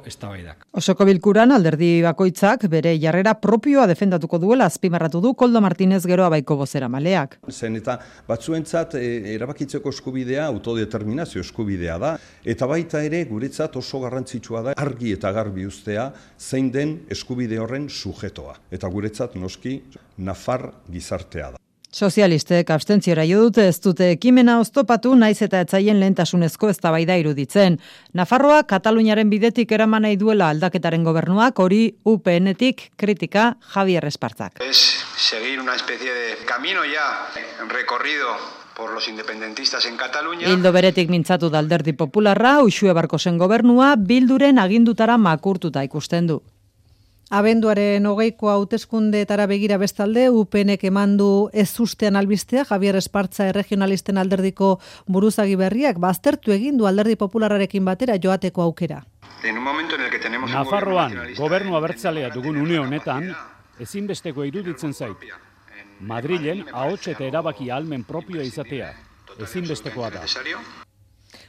eztabaidak. Osoko bilkuran alderdi bakoitzak bere jarrera propioa defendatuko duela azpimarratu du Koldo Martinez Geroa Baiko bozeramaleak. Zen eta batzuentzat erabakitzeko eskubidea autodeterminazio eskubidea da, eta baita ere guretzat oso garrantzitsua da argi eta garbi uztea zein den eskubide horren sujetoa. Eta guretzat noski nafar gizartea da. Sozialistek abstentziora jo dute, ez dute ekimena oztopatu naiz eta etzaien lehentasunezko eztabaida iruditzen. Nafarroa Kataluniaren bidetik eraman nahi duela aldaketaren gobernuak, hori UPN-etik kritika Javier Espartzak. Es seguir una especie de camino ya recorrido por los independentistas en Cataluña. Ildo beretik mintzatu da Alderdi Popularra, Uxue Barkosen gobernua Bilduren agindutara makurtuta ikusten du. Abenduaren 20ko hauteskundeetara begira bestalde, UPNek emandu ez ustean albistea, Javier Espartza Erregionalisten alderdiko buruzagi berriak, baztertu egin du Alderdi Popularrarekin batera joateko aukera. Nafarroan, gobernu abertzalea dugun une honetan, ezinbesteko iruditzen zait. Madrilen ahots eta erabaki ahalmen propioa izatea, ezinbestekoa da.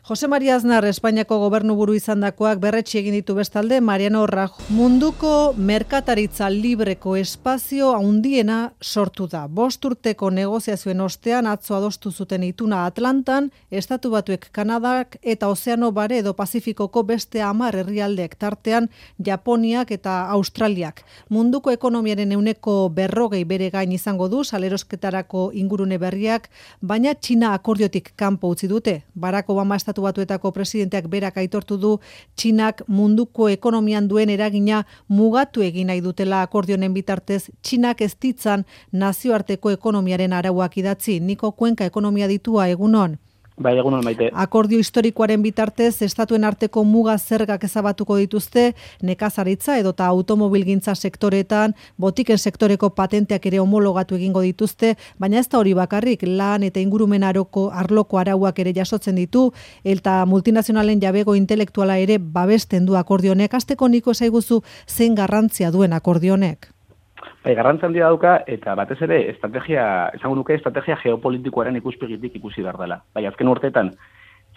Jose Maria Aznar, Espainiako gobernuburu izandakoak berretsi egin ditu bestalde, Mariano Rajoy munduko merkataritza libreko espazio handiena sortu da. 5 urteko negoziazioen ostean atzo adostu zuten ituna Atlantan, Estatu Batuek, Kanadak eta Ozeano Bare edo Pazifikoko beste 10 herrialdeek tartean Japoniak eta Australiak. Munduko ekonomiaren 40% bere gain izango du salerosketarako ingurune berriak, baina Txina akordiotik kanpo utzi dute. Barack Obama Estatu Batuetako presidenteak berak aitortu du Txinak munduko ekonomian duen eragina mugatu egin nahi dutela akordionen bitartez, Txinak ez ditzan nazioarteko ekonomiaren arauak idatzi. Niko Kuenka ekonomia ditua, egunon. Bai, egunon maite. Akordio historikoaren bitartez, estatuen arteko muga zergak ezabatuko dituzte, nekazaritza edota automobilgintza sektoretan, botiken sektoreko patenteak ere homologatu egingo dituzte, baina ez da hori bakarrik, lan eta ingurumen arloko arauak ere jasotzen ditu, eta multinazionalen jabego intelektuala ere babesten du akordionek. Hasteko Niko esaiguzu zein garrantzia duen akordionek? Bai, garrantzia handia dauka, eta batez ere, estrategia geopolitikoaren ikuspegitik ikusi behar dela. Bai, azken urteetan,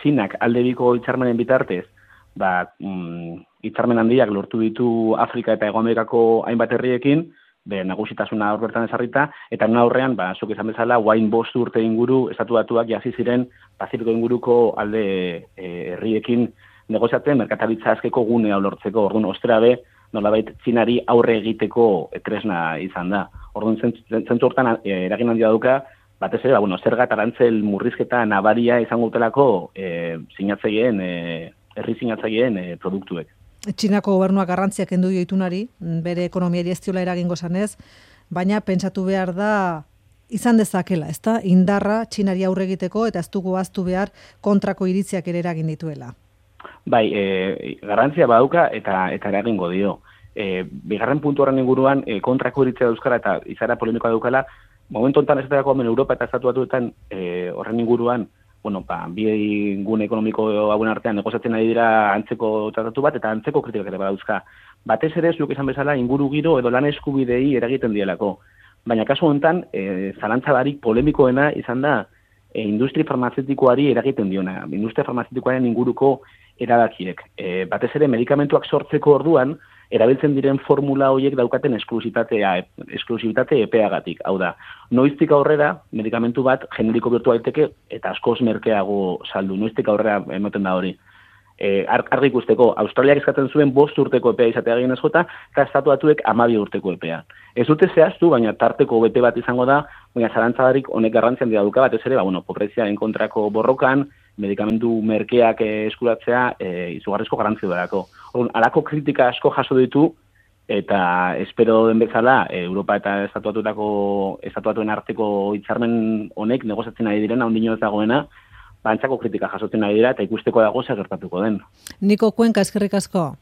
Txinak aldebiko hitzarmenen bitartez, hitzarmen handiak lortu ditu Afrika eta Hego Amerikako hainbat herriekin, nagusitasuna hor bertan ezarrita, eta aurrean, zuk esan bezala, guain 5 urte inguru, Estatu Batuak jasi ziren Pazifiko inguruko alde herriekin negoziatzen merkataritza azkeko gunea lortzeko, orduan ostera be, nolabait Txinari aurre egiteko tresna izan da. Orduan zentzu hortan eragin handia dauka, batez ere, zerga eta arantzel murrizketa nabaria izango dutelako herri sinatzaileen produktuek. Txinako gobernuak garrantziak kendu dio itunari, bere ekonomiari ez diola eragingo zanez, baina pentsatu behar da izan dezakela, ezta? Indarra Txinari aurre egiteko eta ez dugu ahaztu behar kontrako iritziak ere eragin dituela. Bai, garrantzia badauka eta eragingo dio. Bigarren puntu horren inguruan kontrako iritzia dauzkara eta izara polemikoa daukala, momentu honetan esaterako Europa eta Estatu Batuetan horren inguruan, bi gune ekonomiko hauen artean negoziatzen ari dira antzeko tratatu bat eta antzeko kritikak ere badauzka. Batez ere, zuk izan bezala, inguru giro edo lan eskubidei eragiten dielako. Baina kasu honetan, zalantza barik polemikoena izan da industri farmazeutikoari eragiten diona. Industria farmazeutikoaren inguruko erabakiek. Batez ere, medikamentuak sortzeko orduan, erabiltzen diren formula horiek daukaten esklusibitate epeagatik. Hau da, noiztik aurrera, medikamentu bat generiko bihurtu daiteke eta askoz merkeago saldu. Noiztik aurrera ematen da hori. Argi ikusteko, Australiak eskatzen zuen 5 urteko epea izatea gehienez jota, eta Estatu Batuek 12 urteko epea. Ez dute zehaztu, baina tarteko bete bat izango da, baina zalantzadarik honek garrantzian dira duka, batez ere, pobreziaren kontrako borrokan, medikamentu merkeak eskuratzea izugarrizko garrantzia darako. Halako kritika asko jaso ditu, eta espero den bezala, Europa eta Estatu Batuen arteko hitzarmen honek negoziatzen ari direna, ondino ez dagoena, antzako kritika jasotzen ari dira eta ikusteko dago zer gertatuko den. Niko Kuenka, eskerrik asko.